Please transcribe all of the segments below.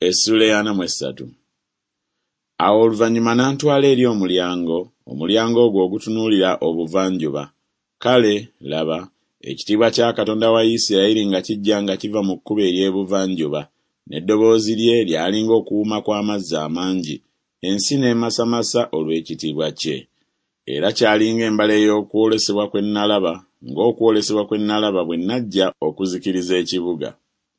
Essuula ey'ana mu essatu. Awo oluvannyuma n'antwala eri omulyango, omulyango ogwo ogutunuulira obuvanjuba. Kale, laba, ekitiibwa kya Katonda wa Isirayiri nga kijja nga kiva mu kkubo ery'ebuvanjuba, n'eddoboozi lye lyali ng'okuwuuma kw'amazzi amangi, ensi n'emasamasa olw'ekitiibwa kye. Era kyali ng'embala ey'okwolesebwa kwe nnalaba, ng'okwolesebwa kwe nnalaba bwe nnajja okuzikiriza ekibuga.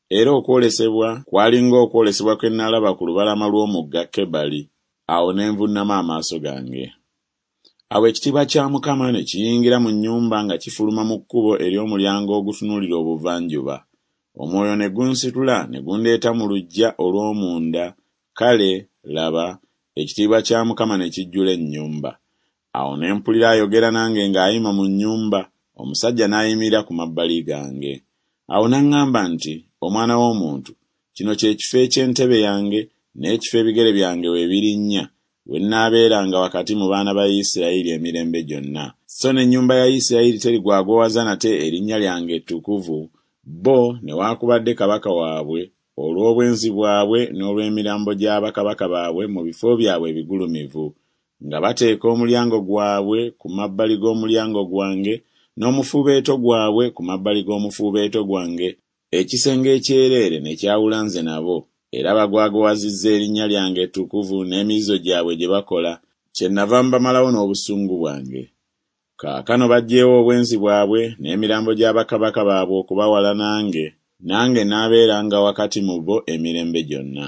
Era okwolesebwa kwali ng'okwolesebwa kwe nnalaba ku lubalama lw'omugga Kebali. Awo ne nvuunama amaaso gange. Awo ekitiibwa kya Mukama ne kiyingira mu nnyumba nga kifuluma mu kkubo ery'omulyango ogutunuulira obuvanjuba. Omwoyo ne gunsitula ne gundeeta mu luggya olw'omunda, kale, laba, ekitiibwa kya Mukama ne kijjula ennyumba. Awo ne mpulira ayogera nange ng'ayima mu nnyumba, omusajja n'ayimirira ku mabbali gange. Awo n'aŋŋamba nti, Omwana w'omuntu, kino kye kifo eky'entebe yange n'ekifo ebigere byange we birinnya, we nnaabeeranga wakati mu baana ba Isirayiri emirembe gyonna. So n'ennyumba ya Isirayiri terigwagwawaza nate erinnya lyange ettukuvu, bo newaakubadde kabaka waabwe, olw'obwenzi bwabwe n'olw'emirambo gya bakabaka baabwe mu bifo byabwe ebigulumivu, nga bateeka omulyango gwabwe ku mabbali g'omulyango gwange, n'omufuubeeto gwabwe ku mabbali g'omufuubeeto gwange, ekisenge ekyereere ne kyawula nze nabo, era bagwagwawazizza erinnya lyange ettukuvu n'emizizo gyabwe gye bakola, kyennava mbamalawo n'obusungu bwange. Kaakano baggyeewo obwenzi bwabwe n'emirambo gya bakabaka baabwe okubawala nange, nange naabeeranga wakati mu bo emirembe gyonna.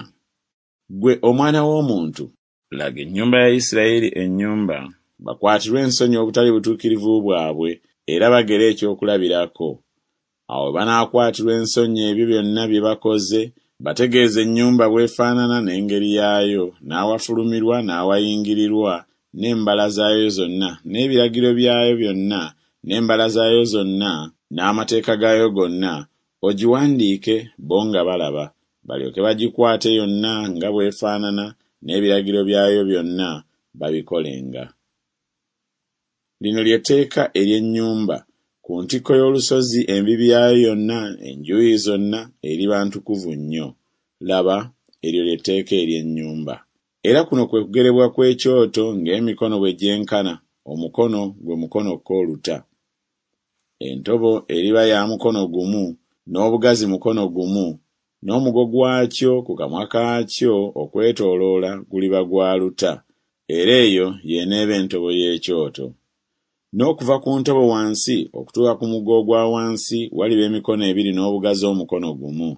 Ggwe omwana w'omuntu, laga ennyumba ya Isirayiri ennyumba, bakwatirwe ensonyi obutali butuukirivu bwabwe, era bagere ekyokulabirako. Awo bwe banaakwatirwa ensonyi ebyo byonna bye bakoze, bategeeze ennyumba bw'efaanana n'engeri yaayo, n'awafulumirwa n'awayingirirwa, n'embala zaayo zonna, n'ebiragiro byayo byonna, n'embala zaayo zonna, n'amateeka gaayo gonna, ogiwandiike bo nga balaba, balyoke bagikwate yonna nga bw'efaanana n'ebiragiro byayo byonna, babikolenga. Lino lye tteeka ery'ennyumba, ku ntikko y'olusozi embibi yaayo yonna enjuuyi zonna eriba ntukuvu nnyo. Laba, eryo lye tteeka ery'ennyumba. Era kuno kwe kugerebwa kw'ekyoto ng'emikono bwe gyenkana, omukono gwe mukono ko oluta. Entobo eriba ya mukono gumu, n'obugazi mukono gumu, n'omugo gwakyo ku kamwa kaakyo okwetooloola guliba gwa luta, era eyo y'eneeba entobo y'ekyoto. N'okuva ku ntobo wansi okutuuka ku mugo ogwa wansi waliba emikono ebiri n'obugazi omukono gumu,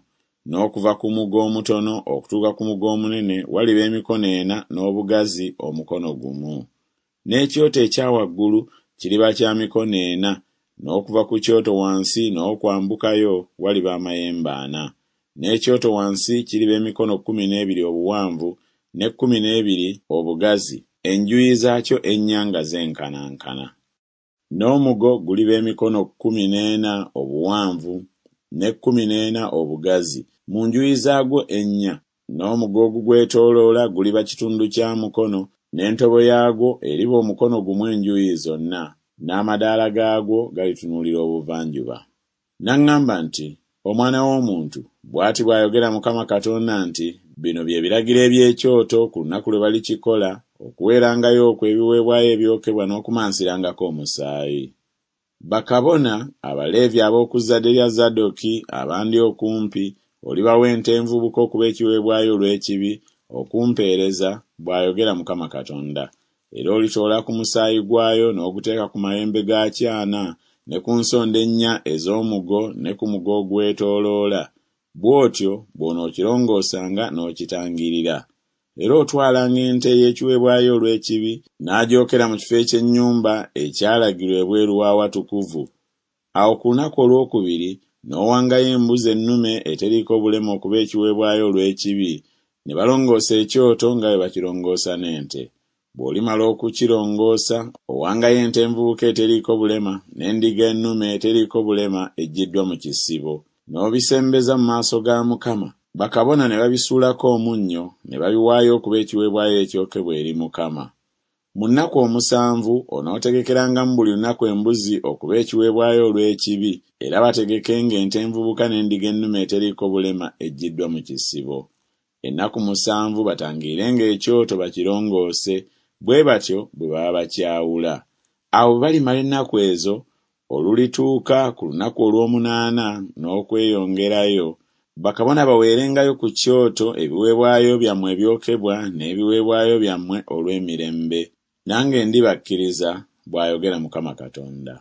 n'okuva ku mugo omutono okutuuka ku mugo omunene waliba emikono ena n'obugazi omukono gumu. N'ekyoto ekya waggulu kiriba kya mikono ena, n'okuva ku kyoto wansi n'okwambukayo waliba amayembe ana. N'ekyoto wansi kiriba emikono 12 obuwanvu ne 12 obugazi, enjuyi zaakyo ennya nga zenkanankana. N'omugo guliba emikono 14 obuwanvu ne 14 obugazi mu njuyi zaagwo ennya, n'omugo ogugwetooloola guliba kitundu kya mukono, n'entobo yaagwo eriba omukono gumu enjuuyi zonna, n'amadaala gaagwo galitunuulira obuvanjuba. N'aŋŋamba nti, Omwana w'omuntu, bw'ati bw'ayogera Mukama Katonda nti Bino bye biragiro eby'ekyoto ku lunaku lwe balikikola, okuweerangayo okwo ebiweebwayo ebyokebwa n'okumansirangako omusaayi. Bakabona, Abaleevi ab'oku zzadde lya Zadoki abandi okumpi, olibawa ente envubuka okuba ekiweebwayo olw'ekibi, okumpeereza, bw'ayogera Mukama Katonda. Era olitoola ku musaayi gwayo n'oguteeka ku mayembe gaakyo ana, ne ku nsonda ennya ez'omugo ne ku mugo ogwetooloola, bw'otyo bw'onookirongoosanga n'okitangirira. Era otwalanga ente ey'ekiweebwayo olw'ekibi, n'agyokera mu kifo eky'ennyumba ekyalagirwa ebweru w'awatukuvu. Awo ku lunaku olw'okubiri n'owangayo embuzi ennume eteriiko bulema okuba ekiweebwayo olw'ekibi, ne balongoosa ekyoto nga bwe bakirongoosa n'ente. Bw'olimala okukirongoosa, owangayo ente envubuka eteriiko bulema n'endiga ennume eteriiko bulema eggyiddwa mu kisibo, n'obisembeza mu maaso ga Mukama, bakabona ne babisuulako omunnyo ne babiwaayo okuba ekiweebwayo ekyokebwa eri Mukama. Mu nnaku omusanvu onootegekerangamu buli lunaku embuzi okuba ekiweebwayo olw'ekibi, era bategekenga ente envubuka n'endiga ennume eteriiko bulema eggyiddwa mu kisibo. Ennaku musanvu batangirirenga ekyoto bakirongoose, bwe batyo bwe baba bakyawula. Awo bwe balimala ennaku ezo, olulituuka ku lunaku olw'omunaana n'okweyongerayo, bakabona baweerengayo ku kyoto ebiweebwayo byammwe ebyokebwa n'ebiweebwayo byammwe olw'emirembe, nange ndibakkiriza, bw'ayogera Mukama Katonda.